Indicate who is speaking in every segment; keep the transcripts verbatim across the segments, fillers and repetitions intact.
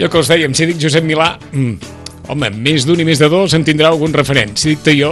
Speaker 1: Allò que us dèiem, si dic Josep Milà, mm, home, més d'un i més de dos en tindrà algun referent. Si dic Teió,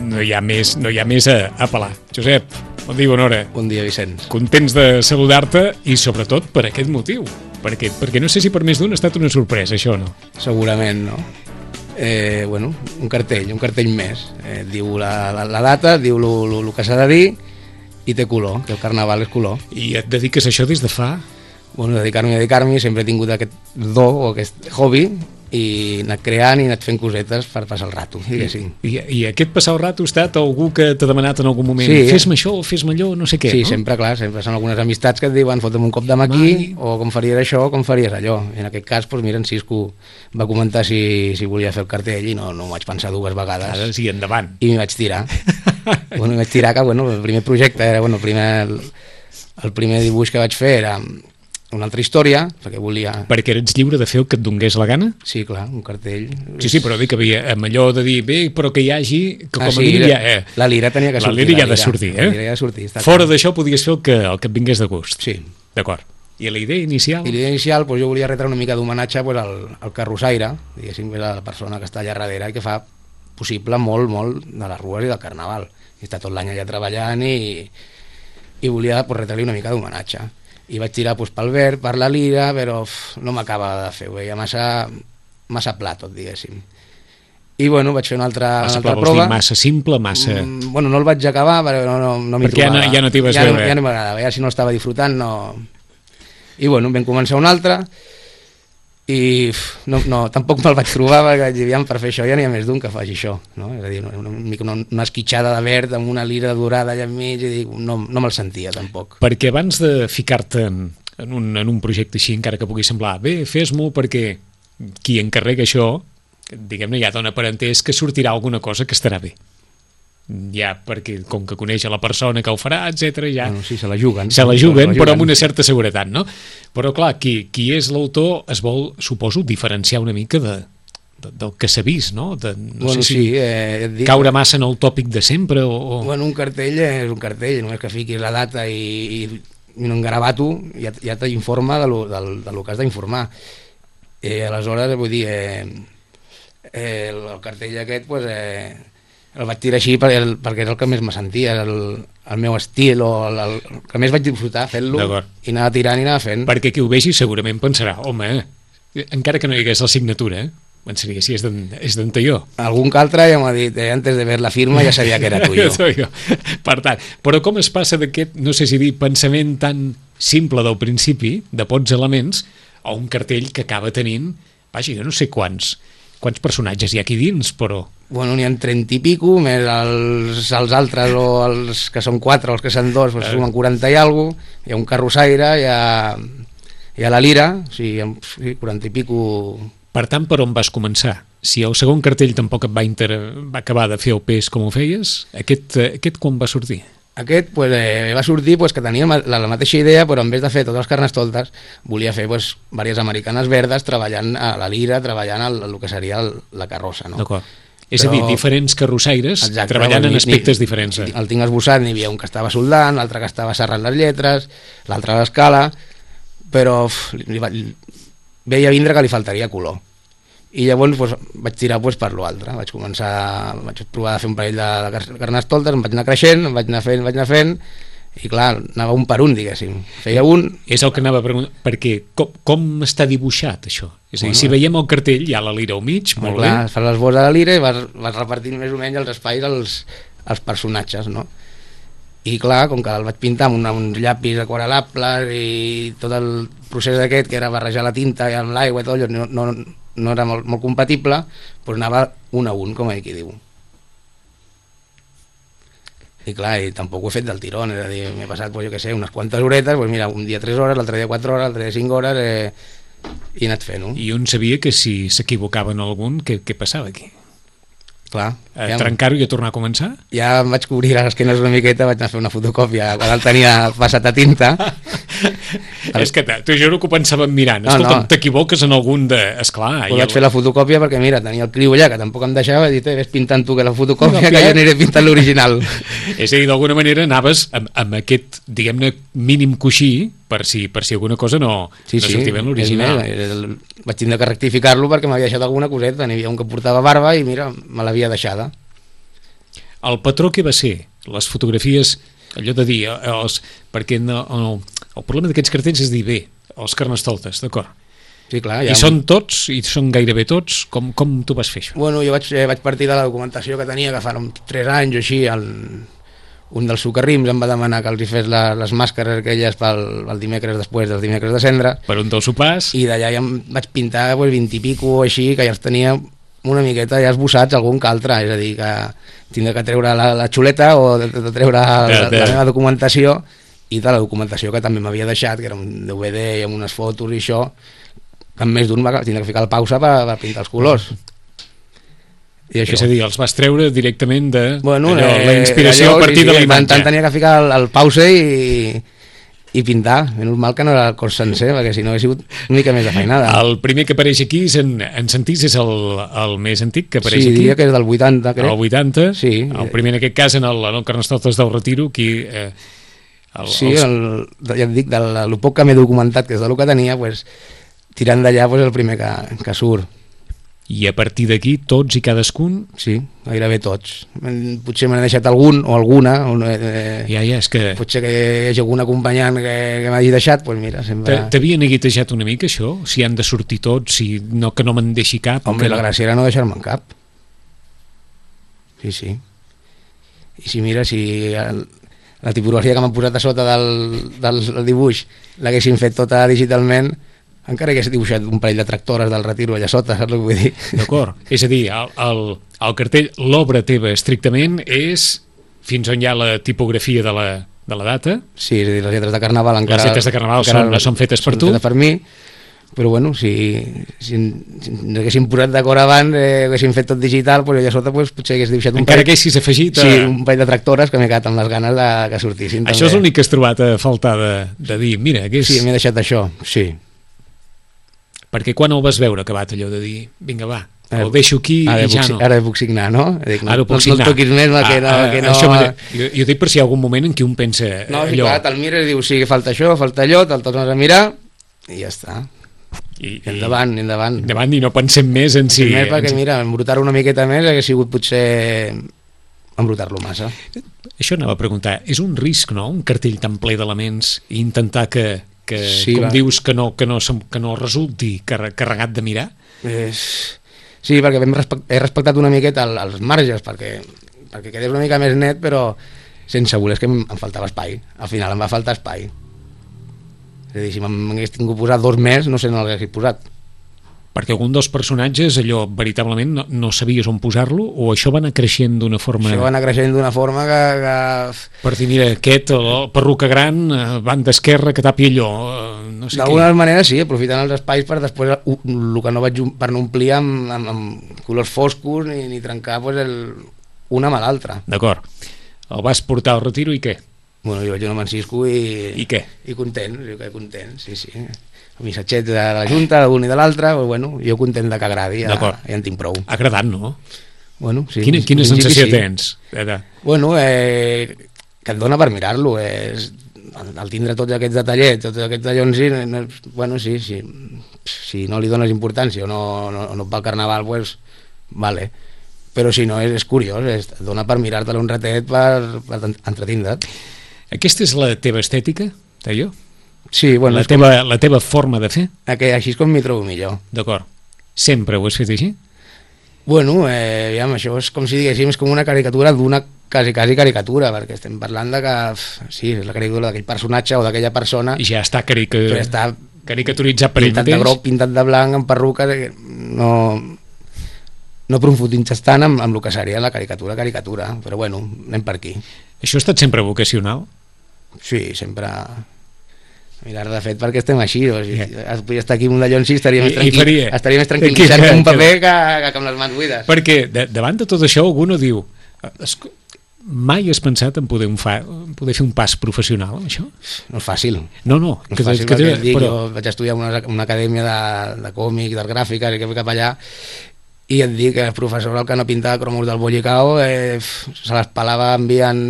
Speaker 1: no hi ha més, no hi ha més a, a pelar. Josep, bon dia i bona hora.
Speaker 2: Bon dia, Vicenç.
Speaker 1: Contents de saludar-te i sobretot per aquest motiu. Perquè, perquè no sé si per més d'un ha estat una sorpresa, això o no?
Speaker 2: Segurament, no? Eh, bueno, un cartell, un cartell més. Eh, diu la, la, la data, diu el que s'ha de dir i té color, que el carnaval és color.
Speaker 1: I et dediques a això des de fa?
Speaker 2: Bueno, dedicar-me a dedicar-me, sempre he tingut aquest do o aquest hobby i he anat creant i he anat fent cosetes per passar el rato, diguéssim.
Speaker 1: I, i aquest passar el rato ha estat algú que t'ha demanat en algun moment,
Speaker 2: sí,
Speaker 1: fes-me això, fes-me allò, no sé què,
Speaker 2: sí,
Speaker 1: no?
Speaker 2: Sí, sempre, clar, sempre són algunes amistats que et diuen fota'm un cop de mà aquí, o com faries això, o com faries allò. I en aquest cas, doncs mira, en Cisco va comentar si, si volia fer el cartell i no, no m'ho vaig pensar dues vegades.
Speaker 1: Ara sí, endavant.
Speaker 2: I m'hi vaig tirar. bueno, m'hi vaig tirar que, bueno, el primer projecte era, bueno, el primer, el, el primer dibuix que vaig fer era una altra història, perquè volia...
Speaker 1: Perquè eres lliure de fer el que et donés la gana?
Speaker 2: Sí, clar, un cartell...
Speaker 1: Sí, sí, però dic que havia, amb allò de dir, bé, però que hi hagi, que com
Speaker 2: ah,
Speaker 1: a
Speaker 2: sí,
Speaker 1: mínim ja... Eh,
Speaker 2: la lira tenia que sortir.
Speaker 1: La lira ja ha de sortir, eh?
Speaker 2: La lira ja ha de sortir.
Speaker 1: Fora d'això podies fer el que, el que et vingués de gust.
Speaker 2: Sí.
Speaker 1: D'acord. I la idea inicial?
Speaker 2: I la idea inicial, doncs jo volia retre una mica d'homenatge pues, al, al carrossaire, diguéssim, que és la persona que està allà darrere i que fa possible molt, molt de les rues i del carnaval. I està tot l'any allà treballant i, i volia pues, retre-li una mica d'homenatge. I vaig tirar pues, pel verd, per la lira, però uf, no m'acaba de fer, ho veia massa, massa pla tot, diguéssim. I bueno, vaig fer una altra,
Speaker 1: massa
Speaker 2: una altra
Speaker 1: pla,
Speaker 2: prova.
Speaker 1: Dir massa simple, massa...
Speaker 2: Mm, bueno, no el vaig acabar, però no, no, no m'hi
Speaker 1: perquè
Speaker 2: trobava.
Speaker 1: Perquè ja no, ja no t'hi vas
Speaker 2: ja
Speaker 1: veure.
Speaker 2: No, ja no m'agradava, ja si no l'estava disfrutant, no... I bueno, vam començar una altra, i uf, no, no, tampoc me'l vaig trobar, perquè aviam, per fer això ja n'hi ha més d'un que faci això, no? És a dir, una, una, una, una esquitxada de verd amb una lira dorada allà enmig, i dic, no, no me'l sentia tampoc.
Speaker 1: Perquè abans de ficar-te en, en, un, en un projecte així, encara que pugui semblar, bé, fes-m'ho perquè qui encarrega això, diguem-ne, ja dona per entès que sortirà alguna cosa que estarà bé. Ja, perquè com que coneix a la persona que ho farà, etcètera, ja...
Speaker 2: Bueno, sí, se la juguen.
Speaker 1: Se la juguen, se la juguen, però amb una certa seguretat, no? Però, clar, qui, qui és l'autor es vol, suposo, diferenciar una mica de, de, del que s'ha vist, no? De, no
Speaker 2: bueno,
Speaker 1: sé si
Speaker 2: sí, eh, dic,
Speaker 1: caure massa en el tòpic de sempre o... o...
Speaker 2: Bueno, un cartell és un cartell, només que fiquis la data i, i, i un garabato ja, ja t'informa de lo, del, de lo que has d'informar. Eh, aleshores, vull dir, eh, eh, el, el cartell aquest, pues, eh, el vaig tirar així perquè, el, perquè és el que més me sentia, el, el meu estil, o el, el que més vaig disfrutar fent-lo, i anava tirant i anava fent.
Speaker 1: Perquè qui ho vegi segurament pensarà, home, encara que no hi hagués la signatura, pensaria, si és d'en Teió.
Speaker 2: Algun que altre ja m'ha dit, eh, antes de ver la firma ja sabia que era tuyo.
Speaker 1: Per tant, però com es passa d'aquest, no sé si dir, pensament tan simple del principi, de pocs elements, a un cartell que acaba tenint, vaja, jo no sé quants, quants personatges hi ha aquí dins, però...
Speaker 2: Bueno, n'hi ha trenta i pico, més els, els altres, o els que són quatre, o els que són dos, pues, sumen quaranta i alguna cosa, hi ha un carrossaire, hi ha, hi ha la lira, o sigui, quaranta i pico...
Speaker 1: Per tant, per on vas començar? Si el segon cartell tampoc et va, inter... va acabar de fer el pes com ho feies, aquest, aquest quan va sortir?
Speaker 2: Aquest pues, eh, va sortir pues, que tenia la, la mateixa idea, però en vez de fer totes les carnestoltes, volia fer pues, diverses americanes verdes treballant a la lira, treballant el, el que seria el, la carrossa. No?
Speaker 1: D'acord. És però... a dir, diferents carrossaires, exacte, treballant en aspectes ni, diferents. Eh?
Speaker 2: El tinc esbossat, n'hi havia un que estava soldant, l'altre que estava serrant les lletres, l'altre a l'escala, però uf, li, li, veia vindre que li faltaria color. I llavors pues, vaig tirar pues, per l'altre, vaig començar, vaig provar de fer un parell de, de carnestoltes, em vaig anar creixent, em vaig anar fent, vaig anar fent, i clar, anava un per un, diguéssim. Feia un...
Speaker 1: És el que anava a preguntar, perquè com, com està dibuixat, això? És a dir, bueno, si veiem el cartell, hi ha la lira al mig, molt clar, bé.
Speaker 2: Fas l'esbós de la lira i vas, vas repartint més o menys els espais als, als personatges, no? I clar, com que el vaig pintar amb una, uns llapis aquarel·lables i tot el procés aquest, que era barrejar la tinta i amb l'aigua i tot allò, no, no, no era molt, molt compatible, doncs anava un a un, com aquí diu. I clar, i tampoc ho he fet del tirón, és a dir, m'he passat, pues, jo què sé, unes quantes horetes, doncs mira, un dia tres hores, l'altre dia quatre hores, l'altre dia cinc hores, eh, i he anat fent-ho.
Speaker 1: I un sabia que si s'equivocava en algun, què, què passava aquí?
Speaker 2: Clar.
Speaker 1: A ja trencar-ho i a tornar a començar?
Speaker 2: Ja em vaig cobrir les esquenes una miqueta, vaig anar a fer una fotocòpia quan el tenia passat a tinta
Speaker 1: És que t'ho juro que ho pensàvem mirant.
Speaker 2: No,
Speaker 1: Escolta'm,
Speaker 2: no.
Speaker 1: t'equivoques en algun de... Esclar,
Speaker 2: Ho vaig fer la fotocòpia perquè, mira, tenia el criu allà, que tampoc em deixava, i dit, eh, ves pintant tu que la fotocòpia,
Speaker 1: No,
Speaker 2: que
Speaker 1: clar.
Speaker 2: jo aniré pintant l'original.
Speaker 1: És a dir, d'alguna manera anaves amb, amb aquest, diguem-ne, mínim coixí per si, per si alguna cosa no,
Speaker 2: Sí,
Speaker 1: no
Speaker 2: sí,
Speaker 1: sortia bé en
Speaker 2: és
Speaker 1: l'original.
Speaker 2: més, el- vaig tindre que rectificar-lo perquè m'havia deixat alguna coseta, n'hi havia un que portava barba i mira, me l'havia deixada.
Speaker 1: El patró que va ser? Les fotografies, allò de dir, eh, els, perquè no, el, el problema d'aquests cartells és dir, bé, els carnestoltes, d'acord.
Speaker 2: Sí, clar,
Speaker 1: I són tots, i són gairebé tots, com, com tu vas fer això?
Speaker 2: Bueno, jo vaig, eh, vaig partir de la documentació que tenia, que fa uns tres anys o així, el, un dels socarrims em va demanar que els hi fes la, les màscares aquelles pel, pel dimecres després dels dimecres de cendra,
Speaker 1: Per un dels sopars,
Speaker 2: i d'allà ja em vaig pintar pues, vint i pico o així, que ja els tenia una miqueta ja esbossats algun que altre, és a dir, que tindré que treure la, la xuleta o de, de treure
Speaker 1: De-
Speaker 2: la,
Speaker 1: de-
Speaker 2: la meva documentació, i de la documentació que també m'havia deixat, que era un D V D i amb unes fotos i això, amb més d'un va tindre que ficar la pausa per, per pintar els colors. I això.
Speaker 1: és a dir, els vas treure directament de
Speaker 2: Bueno,
Speaker 1: allò,
Speaker 2: eh,
Speaker 1: la inspiració
Speaker 2: allò,
Speaker 1: a partir
Speaker 2: sí,
Speaker 1: de la
Speaker 2: sí, tant,
Speaker 1: imatge.
Speaker 2: tant tenia que ficar el, el pause i, i pintar. Menys mal que no era el cos sencer, perquè si no hauria sigut una mica més de feinada.
Speaker 1: El primer que apareix aquí, és en, en sentís, és el, el més antic que apareix
Speaker 2: Sí,
Speaker 1: aquí.
Speaker 2: diria que és del vuitanta, crec.
Speaker 1: El vuitanta,
Speaker 2: Sí.
Speaker 1: el primer en aquest cas en el, en el Carnestoltes del Retiro, aquí... Eh, el,
Speaker 2: Sí,
Speaker 1: els,
Speaker 2: el, ja et dic, del, el poc que m'he documentat, que és del que tenia, pues, tirant d'allà pues, el primer que, que surt.
Speaker 1: I a partir d'aquí, tots i cadascun...
Speaker 2: Sí, gairebé tots. Men- Potser me n'he deixat algun o alguna, o no, eh,
Speaker 1: Ja, ja, és que...
Speaker 2: potser que hi hagi algun acompanyant que, que m'hagi deixat, pues mira, sempre...
Speaker 1: T'a- T'havia neguitejat una mica, això? Si han de sortir tots, si no, que no me'n deixi cap... o
Speaker 2: Home,
Speaker 1: que
Speaker 2: la
Speaker 1: no...
Speaker 2: gràcia era no deixar-me en cap. Sí, sí. I si mira, si el, la tipografia que m'han posat a sota del, del, del dibuix l'haguessin fet tota digitalment, encara hagués dibuixat un parell de tractores del Retiro allà sota, saps el que vull dir?
Speaker 1: D'acord. És a dir, el, el, el cartell, l'obra teva estrictament és fins on hi ha la tipografia de la, de la data.
Speaker 2: Sí, és a dir, les lletres de Carnaval encara...
Speaker 1: Les lletres de Carnaval
Speaker 2: encara
Speaker 1: són- són fetes per tu?
Speaker 2: Fetes per mi, però bueno, si, si, si ens haguéssim posat d'acord abans, eh, haguéssim fet tot digital, pues allà sota pues, potser hagués dibuixat un
Speaker 1: Encara
Speaker 2: parell,
Speaker 1: que haguessis afegit... A...
Speaker 2: sí, un parell de tractores que m'he quedat amb les ganes de que sortissin.
Speaker 1: Això és
Speaker 2: també.
Speaker 1: l'únic que has trobat a faltar de, de dir, mira, hagués...
Speaker 2: Sí, m'he deixat això, sí.
Speaker 1: Perquè quan el vas veure acabat allò de dir, vinga, va,
Speaker 2: Ara-
Speaker 1: el deixo aquí
Speaker 2: Ara
Speaker 1: i ja
Speaker 2: puc,
Speaker 1: no.
Speaker 2: Ara puc signar, no? Dic, no,
Speaker 1: Ara ho puc
Speaker 2: no,
Speaker 1: signar.
Speaker 2: no el toquis més, no, que no...
Speaker 1: Ah,
Speaker 2: que
Speaker 1: ah,
Speaker 2: no...
Speaker 1: això m'ha- jo, jo dic per si hi ha algun moment en què un pensa
Speaker 2: No, sí,
Speaker 1: allò...
Speaker 2: clar, te'l mires i dius, sí, falta això, falta allò, te'l tornes a mirar i ja està.
Speaker 1: I,
Speaker 2: I endavant, endavant.
Speaker 1: endavant i no pensem més en si...
Speaker 2: Sí, més perquè,
Speaker 1: en si...
Speaker 2: mira, embrutar una miqueta més hagués sigut potser embrutar-lo massa.
Speaker 1: Això anava a preguntar, és un risc, no?, un cartell tan ple d'elements i intentar que, que
Speaker 2: Sí,
Speaker 1: com
Speaker 2: va.
Speaker 1: dius, que no, que no, som- que no resulti carre- carregat de mirar?
Speaker 2: És... Sí, perquè hem respect... he respectat una miqueta el, els marges perquè, perquè quedés una mica més net, però sense voler, és que em, em faltava espai. Al final em va faltar espai. És a dir, si m'hagués tingut posat dos més, no sé on l'hagués posat.
Speaker 1: Perquè algun dels personatges, allò, veritablement, no, no sabies on posar-lo, o això va anar creixent d'una forma...
Speaker 2: Això va anar creixent d'una forma que... que...
Speaker 1: Per dir, mira, aquest, el, el perruca gran, eh, banda esquerra, que tapi allò, eh, no sé què.
Speaker 2: D'alguna manera sí, aprofitant els espais per després u- el que no vaig om- per no omplir amb, amb, amb colors foscos ni, ni trencar pues, el, una amb l'altra.
Speaker 1: D'acord. El vas portar al retiro i què?
Speaker 2: Bueno, jo vaig anar amb en Cisco i...
Speaker 1: I què?
Speaker 2: I content, jo que content, sí, sí. El missatget de la Junta, d'un i de l'altre, pues, bueno, jo content de que agradi, ja,
Speaker 1: D'acord.
Speaker 2: ja en tinc prou.
Speaker 1: Agradat, no?
Speaker 2: Bueno, sí,
Speaker 1: Quina, quina
Speaker 2: en principi
Speaker 1: sensació
Speaker 2: sí.
Speaker 1: tens? De, de...
Speaker 2: Bueno, eh, que et dona per mirar-lo, és, al tindre tots aquests detallets, tots aquests dallons, sí, no, bueno, sí, sí, si no li dones importància o no, no, no et va al carnaval, pues, vale. Però si no, és, és curiós, és, et dona per mirar-te-lo un ratet per, per entretindre't.
Speaker 1: Aquesta és la teva estètica, deia jo?
Speaker 2: Sí, bueno,
Speaker 1: La
Speaker 2: és com,
Speaker 1: teva, la teva forma de fer?
Speaker 2: que així és com m'hi trobo millor.
Speaker 1: D'acord. Sempre ho has fet així?
Speaker 2: Bueno, eh, aviam, això és com si diguéssim, és com una caricatura d'una quasi, quasi caricatura, perquè estem parlant de que, f, sí, és la caricatura d'aquell personatge o d'aquella persona,
Speaker 1: I ja està, carica...
Speaker 2: però ja està
Speaker 1: caricaturitzat per ell
Speaker 2: pintat de
Speaker 1: mateix?
Speaker 2: groc, pintat de blanc, amb perruques, eh, no, no profunditza tant amb, amb el que seria la caricatura, caricatura, però bueno, anem per aquí.
Speaker 1: Això ha estat sempre vocacional?
Speaker 2: Sí, sempre... Mirar, de fet, perquè estem així, o sigui,
Speaker 1: Yeah.
Speaker 2: podria estar aquí amb un dallon sí, estaria
Speaker 1: I-
Speaker 2: més
Speaker 1: i
Speaker 2: tranquil,
Speaker 1: faria.
Speaker 2: estaria més tranquil·litzat
Speaker 1: Que-
Speaker 2: amb un
Speaker 1: que-
Speaker 2: paper que, que amb les mans buides.
Speaker 1: Perquè de, davant de tot això algú no diu... "Esco- mai has pensat en poder, un fa, en poder fer un pas professional amb això?
Speaker 2: No és fàcil.
Speaker 1: No, no.
Speaker 2: No
Speaker 1: que,
Speaker 2: és fàcil
Speaker 1: que,
Speaker 2: perquè et dic,
Speaker 1: però...
Speaker 2: jo vaig estudiar en una, una acadèmia de, de còmic, d'art gràfica, i que cap allà, i et dic que el professor, el que no pintava cromos del Bollicao, eh, se les pelava enviant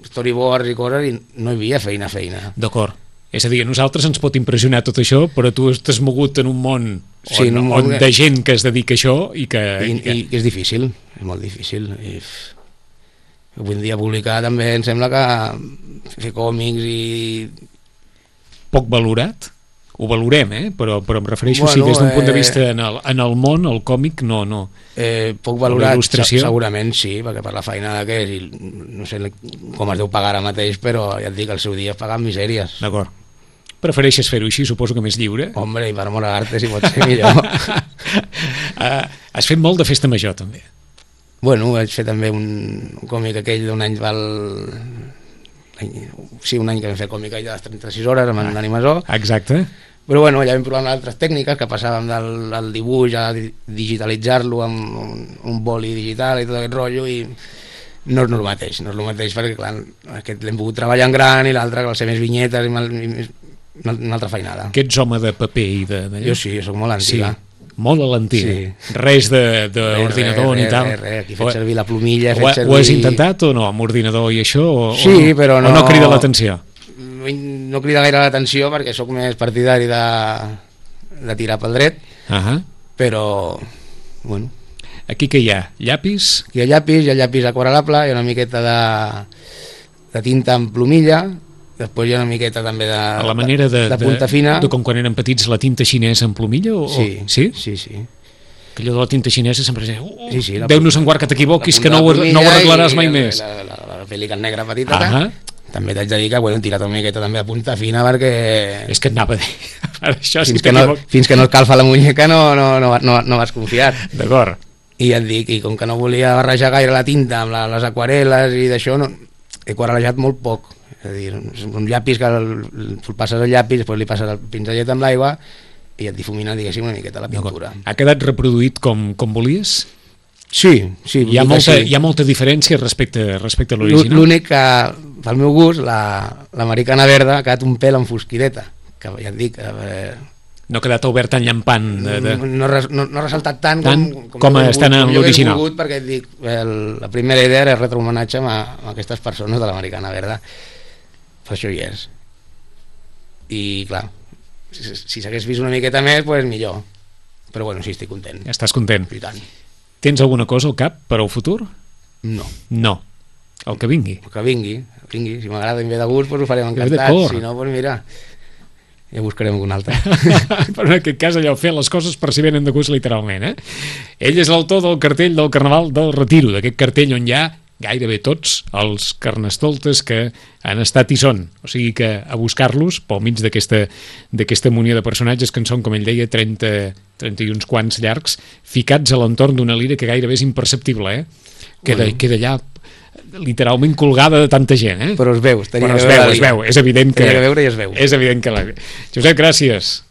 Speaker 2: storyboards i coses, i no hi havia feina, feina.
Speaker 1: D'acord. És a dir, a nosaltres ens pot impressionar tot això, però tu t'has mogut en un món on,
Speaker 2: sí, un món
Speaker 1: on de gent que es dedica a això i que...
Speaker 2: I,
Speaker 1: i que...
Speaker 2: i és difícil, és molt difícil. I avui en dia publicar també em sembla que fer còmics i...
Speaker 1: Poc valorat? Ho valorem, eh? Però, però em refereixo,
Speaker 2: bueno,
Speaker 1: sí, des d'un punt de
Speaker 2: eh...
Speaker 1: vista en el, en el món, el còmic, no, no.
Speaker 2: Eh, poc valorat, segurament sí, perquè per la feina que és, i no sé com es deu pagar ara mateix, però ja et dic, al seu dia es paguen misèries.
Speaker 1: D'acord. Prefereixes fer-ho així, suposo que més lliure?
Speaker 2: Hombre, i per amor a l'arte, si pot ser millor.
Speaker 1: uh, has fet molt de festa major, també.
Speaker 2: Bueno, vaig fer també un, un còmic aquell d'un any val... Sí, un any que vam fer còmic allà de les trenta-sis hores amb ah, l'Animasó.
Speaker 1: Exacte.
Speaker 2: Però bueno, ja vam provar amb altres tècniques, que passàvem del, del dibuix a digitalitzar-lo amb un, un boli digital i tot aquest rotllo, i no és el mateix, no és el mateix perquè clar, aquest l'hem pogut treballar en gran i l'altre que va ser més vinyetes i, mal, i una altra feinada.
Speaker 1: Que ets home de paper i de... de...
Speaker 2: Jo sí, soc molt antiga.
Speaker 1: Sí, molt a l'antiga.
Speaker 2: Sí.
Speaker 1: Res d'ordinador ni tal.
Speaker 2: Res, res, aquí he fet servir la plomilla, he
Speaker 1: fet
Speaker 2: ho,
Speaker 1: servir... Ho has intentat o no, amb ordinador i això? O,
Speaker 2: sí,
Speaker 1: o no,
Speaker 2: però no...
Speaker 1: O no crida l'atenció?
Speaker 2: No crida gaire l'atenció perquè sóc més partidari de, de tirar pel dret,
Speaker 1: uh -huh.
Speaker 2: però, bueno...
Speaker 1: Aquí què hi ha? Llapis?
Speaker 2: Aquí hi ha llapis, hi ha llapis aquarel·lable, hi ha una miqueta de, de tinta amb plomilla, després hi ha una miqueta també de,
Speaker 1: a la manera de,
Speaker 2: de, de punta fina.
Speaker 1: De, de com quan érem petits, la tinta xinesa en plomilla? O,
Speaker 2: sí,
Speaker 1: o, sí,
Speaker 2: sí, sí.
Speaker 1: Que allò de la tinta xinesa sempre és... Uh,
Speaker 2: sí, sí,
Speaker 1: Déu-nos en guard que t'equivoquis, que no ho, no ho arreglaràs mai més.
Speaker 2: La, la, la, la pelican negra petita, uh -huh. També t'haig de dir que bueno, he tirat una miqueta també de punta fina perquè...
Speaker 1: És que et anava a dir... Això,
Speaker 2: fins,
Speaker 1: si
Speaker 2: que no, fins que no et calfa la muñeca no, no, no, no, no vas confiar.
Speaker 1: D'acord.
Speaker 2: I et dic, i com que no volia barrejar gaire la tinta amb la, les aquarel·les i d'això, no, he aquarel·lejat molt poc. És a dir, un llapis que el, el passes el llapis, després li passes el pinzellet amb l'aigua i et difumina, diguéssim, una miqueta la pintura.
Speaker 1: Ha quedat reproduït com, com volies?
Speaker 2: Sí, sí.
Speaker 1: Hi ha, molta, sí. Hi ha molta diferència respecte, respecte a l'original?
Speaker 2: L'únic que, pel meu gust, l'americana la, verda ha quedat un pèl enfosquideta, que ja et dic... Eh,
Speaker 1: no ha quedat obert tan llampant de, de...
Speaker 2: No, no, no, no ha ressaltat tant,
Speaker 1: tant
Speaker 2: com, com,
Speaker 1: com estan en l'original,
Speaker 2: perquè et dic, el, la primera idea era retre homenatge amb, amb aquestes persones de l'americana verda, per això hi és. I clar, si, si s'hagués vist una miqueta més, pues millor, però bueno, sí, estic content.
Speaker 1: Estàs content?
Speaker 2: I tant.
Speaker 1: Tens alguna cosa al cap per al futur?
Speaker 2: No.
Speaker 1: No. El que vingui?
Speaker 2: El que vingui, vingui. Si m'agrada i em ve de gust, pues ho farem encantat. Si no, pues mira, ja buscarem algun altre.
Speaker 1: Però en aquest cas allò, fer les coses per si venen de gust literalment, eh? Ell és l'autor del cartell del Carnaval del Retiro, d'aquest cartell on hi ha gairebé tots els carnestoltes que han estat i són, o sigui que a buscar-los pel mig d'aquesta munió de personatges que en són, com ell deia, trenta, trenta i uns quants llargs, ficats a l'entorn d'una lira que gairebé és imperceptible, eh? Queda, bueno. queda allà literalment colgada de tanta gent, eh?
Speaker 2: Però es veu,
Speaker 1: Però es veu, es veu, és evident que...
Speaker 2: Tenia que veure i es veu.
Speaker 1: És evident que la... Josep, gràcies.